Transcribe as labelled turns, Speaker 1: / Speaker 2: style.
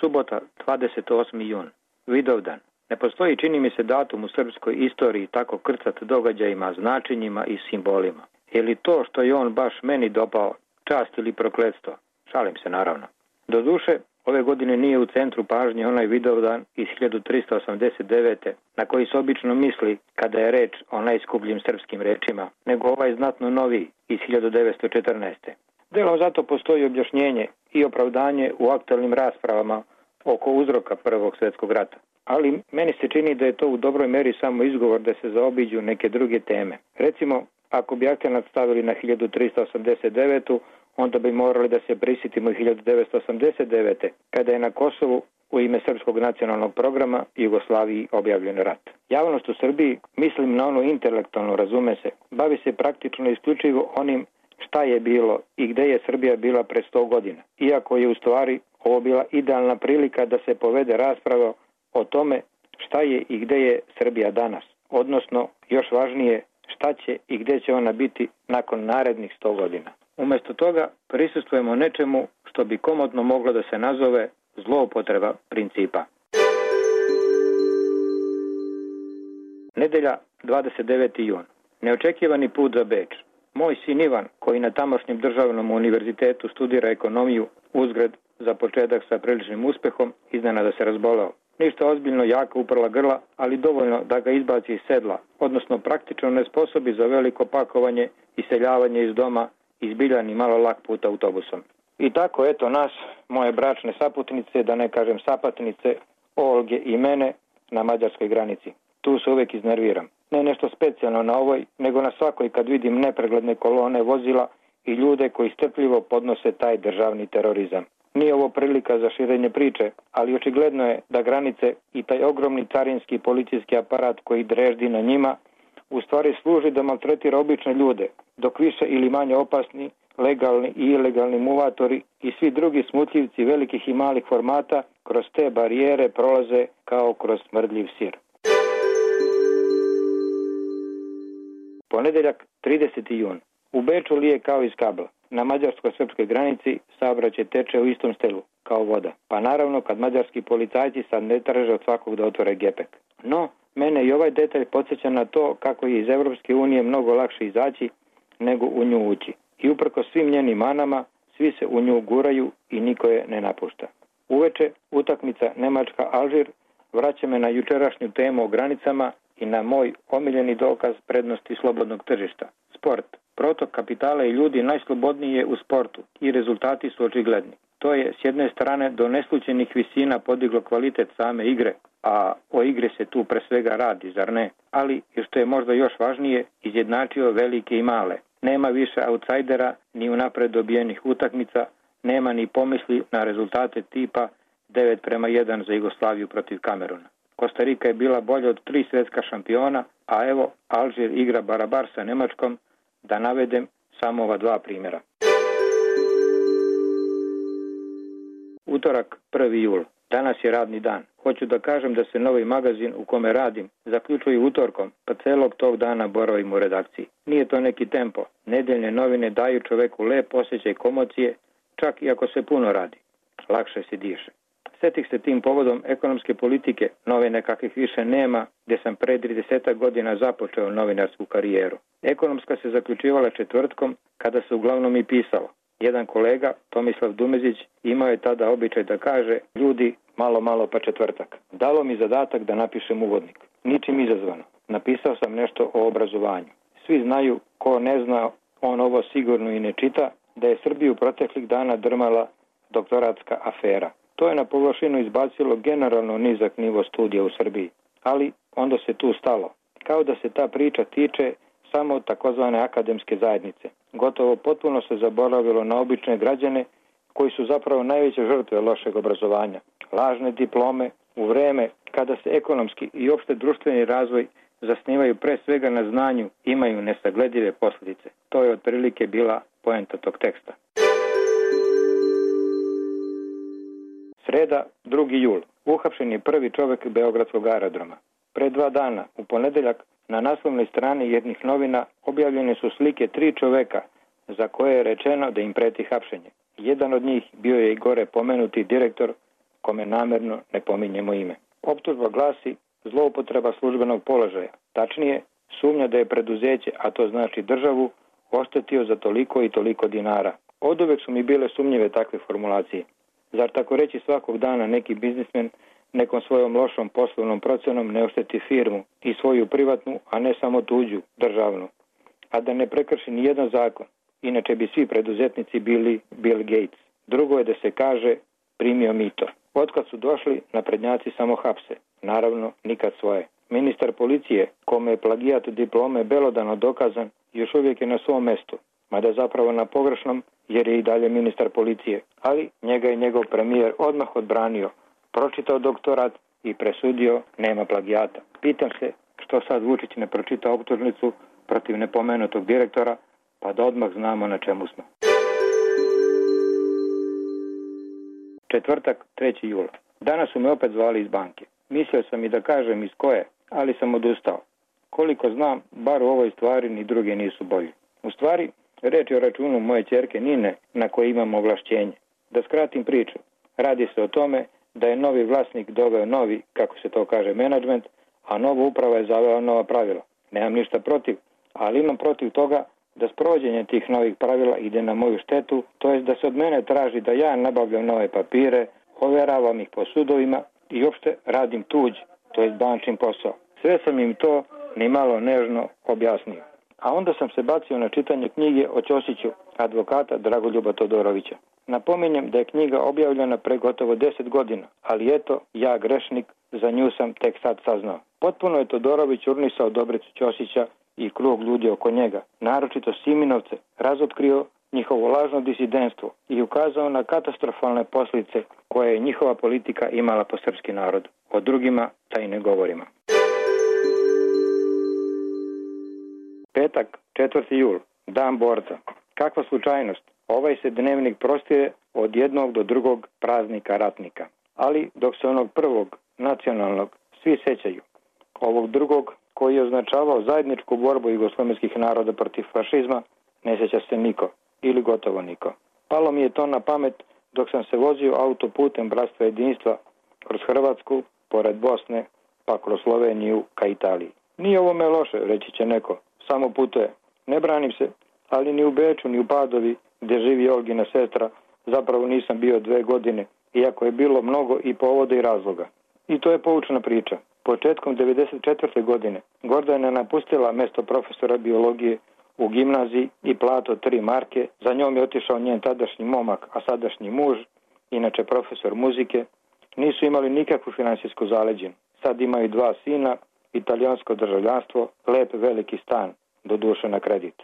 Speaker 1: Subota, 28. jun. Vidovdan. Ne postoji, čini mi se, datum u srpskoj istoriji tako krcat događajima, značenjima i simbolima. Je li to što je on baš meni dopao čast ili prokletstvo? Šalim se, naravno. Doduše, ove godine nije u centru pažnje onaj Vidovdan iz 1389. na koji se obično misli kada je reč o najskupljim srpskim rečima, nego ovaj znatno noviji iz 1914. Delom zato postoji objašnjenje i opravdanje u aktualnim raspravama oko uzroka Prvog svjetskog rata. Ali meni se čini da je to u dobroj meri samo izgovor da se zaobiđu neke druge teme. Recimo, ako bi akcenat stavili na 1389. onda bi morali da se prisjetimo i 1989. kada je na Kosovu u ime Srpskog nacionalnog programa Jugoslaviji objavljen rat. Javnost u Srbiji, mislim na ono intelektualno, razume se, bavi se praktično isključivo onim šta je bilo i gde je Srbija bila pre 100 godina. Iako je u stvari ovo bila idealna prilika da se povede rasprava o tome šta je i gde je Srbija danas. Odnosno, još važnije, šta će i gde će ona biti nakon narednih 100 godina. Umjesto toga prisustvujemo nečemu što bi komotno moglo da se nazove zloupotreba principa. Nedelja, 29. jun. Neočekivani put za Beč. Moj sin Ivan, koji na tamošnjem državnom univerzitetu studira ekonomiju, uzgred za početak sa priličnim uspehom, iznenada se razboleo. Ništa ozbiljno, jaka uprla grla, ali dovoljno da ga izbaci iz sedla, odnosno praktično nesposobi za veliko pakovanje i seljavanje iz doma i zbiljan i malo lak put autobusom. I tako, eto nas, moje bračne saputnice, da ne kažem sapatnice, Olge i mene, na mađarskoj granici. Tu se uvijek iznerviram. Ne nešto specijalno na ovoj, nego na svakoj kad vidim nepregledne kolone vozila i ljude koji strpljivo podnose taj državni terorizam. Nije ovo prilika za širenje priče, ali očigledno je da granice i taj ogromni carinski policijski aparat koji dreždi na njima u stvari služi da maltretira obične ljude, dok više ili manje opasni, legalni i ilegalni muvatori i svi drugi smutljivci velikih i malih formata kroz te barijere prolaze kao kroz smrdljiv sir. Ponedeljak, 30. jun. U Beču lije kao iz kabla. Na mađarsko-srpskoj granici saobraćaj teče u istom stelu, kao voda. Pa naravno kad mađarski policajci sad ne traže od svakog da otvore gepek. No, mene i ovaj detalj podsjeća na to kako je iz Evropske unije mnogo lakše izaći nego u nju ući. I uprkos svim njenim manama, svi se u nju guraju i niko je ne napušta. Uveče, utakmica Nemačka-Alžir vraća me na jučerašnju temu o granicama i na moj omiljeni dokaz prednosti slobodnog tržišta. Sport. Protok kapitala i ljudi najslobodniji je u sportu i rezultati su očigledni. To je s jedne strane do neslućenih visina podiglo kvalitet same igre, a o igre se tu pre svega radi, zar ne? Ali, i što je možda još važnije, izjednačio velike i male. Nema više autsajdera ni unapred dobijenih utakmica, nema ni pomisli na rezultate tipa 9:1 za Jugoslaviju protiv Kameruna. Kostarika je bila bolja od 3 svjetska šampiona, a evo Alžir igra barabar sa Nemačkom, da navedem samo ova 2 primjera. Utorak, 1. jul. Danas je radni dan. Hoću da kažem da se novi magazin u kome radim zaključuje utorkom, pa celog tog dana boravim u redakciji. Nije to neki tempo. Nedeljne novine daju čoveku lep osjećaj komocije, čak i ako se puno radi. Lakše se diše. Setih se tim povodom ekonomske politike, novine kakvih više nema, gdje sam pre 30 godina započeo novinarsku karijeru. Ekonomska se zaključivala četvrtkom, kada se uglavnom i pisalo. Jedan kolega, Tomislav Dumezić, imao je tada običaj da kaže: ljudi, malo pa četvrtak. Dalo mi zadatak da napišem uvodnik. Ničim izazvano. Napisao sam nešto o obrazovanju. Svi znaju, ko ne zna, on ovo sigurno i ne čita, da je Srbiju proteklih dana drmala doktoratska afera. To je na površinu izbacilo generalno nizak nivo studija u Srbiji, ali onda se tu stalo. Kao da se ta priča tiče samo takozvane akademske zajednice. Gotovo potpuno se zaboravilo na obične građane koji su zapravo najveće žrtve lošeg obrazovanja. Lažne diplome u vreme kada se ekonomski i opšte društveni razvoj zasnivaju pre svega na znanju, imaju nesagledive posljedice. To je otprilike bila poenta tog teksta. Sreda, 2. jul. Uhapšen je prvi čovjek Beogradskog aerodroma. Pre 2 dana, u ponedeljak, na naslovnoj strani jednih novina objavljene su slike 3 čoveka za koje je rečeno da im preti hapšenje. Jedan od njih bio je i gore pomenuti direktor kome namerno ne pominjemo ime. Optužba glasi zloupotreba službenog položaja. Tačnije, sumnja da je preduzeće, a to znači državu, oštetio za toliko i toliko dinara. Oduvek su mi bile sumnjive takve formulacije. Zar tako reći svakog dana neki biznismen nekom svojom lošom poslovnom procenom ne ošteti firmu i svoju privatnu, a ne samo tuđu, državnu, a da ne prekrši ni jedan zakon? Inače bi svi preduzetnici bili Bill Gates. Drugo je da se kaže primio mito. Otkad su došli, naprednjaci samo hapse. Naravno, nikad svoje. Ministar policije, kome je plagijat diplome belodano dokazan, još uvijek je na svom mestu, mada zapravo na pogrešnom, jer je i dalje ministar policije. Ali njega je njegov premijer odmah odbranio, pročitao doktorat i presudio nema plagijata. Pitam se što sad Vučić ne pročita optužnicu protiv nepomenutog direktora, pa da odmah znamo na čemu smo. Četvrtak, 3. jula. Danas su me opet zvali iz banke. Mislio sam i da kažem iz koje, ali sam odustao. Koliko znam, bar u ovoj stvari ni druge nisu bolji. U stvari, reč je o računu moje ćerke Nine na koje imam ovlašćenje. Da skratim priču, radi se o tome da je novi vlasnik doveo novi, kako se to kaže, menadžment, a nova uprava je zavela nova pravila. Nemam ništa protiv, ali imam protiv toga da sprovođenje tih novih pravila ide na moju štetu, to jest da se od mene traži da ja nabavljam nove papire, overavam ih po sudovima i uopšte radim tuđ, to jest bančin posao. Sve sam im to ni malo nežno objasnio. A onda sam se bacio na čitanje knjige o Ćosiću, advokata Dragoljuba Todorovića. Napominjem da je knjiga objavljena pre gotovo 10 godina, ali eto, ja grešnik, za nju sam tek sad saznao. Potpuno je Todorović urnisao Dobricu Ćosića i krug ljudi oko njega, naročito Siminovce, razotkrio njihovo lažno disidentstvo i ukazao na katastrofalne posljedice koje je njihova politika imala po srpski narod. O drugima da i ne govorimo. Petak, 4. jul, dan borca. Kakva slučajnost, ovaj se dnevnik prostire od jednog do drugog praznika ratnika. Ali dok se onog prvog, nacionalnog, svi sećaju, ovog drugog koji je označavao zajedničku borbu jugoslovenskih naroda protiv fašizma, ne sjeća se niko ili gotovo niko. Palo mi je to na pamet dok sam se vozio autoputem Bratstva jedinstva kroz Hrvatsku, pored Bosne, pa kroz Sloveniju ka Italiji. Nije ovome loše, reći će neko, samo putuje. Ne branim se, ali ni u Beču, ni u Padovi, gdje živi Olgina sestra, zapravo nisam bio 2 godine, iako je bilo mnogo i povoda i razloga. I to je poučna priča. Početkom 1994. godine Gordana je napustila mjesto profesora biologije u gimnaziji i plato 3 marke. Za njom je otišao njen tadašnji momak, a sadašnji muž, inače profesor muzike. Nisu imali nikakvu finansijsku zaleđinu. Sad imaju 2 sina, italijansko državljanstvo, lep veliki stan, doduše na kredit.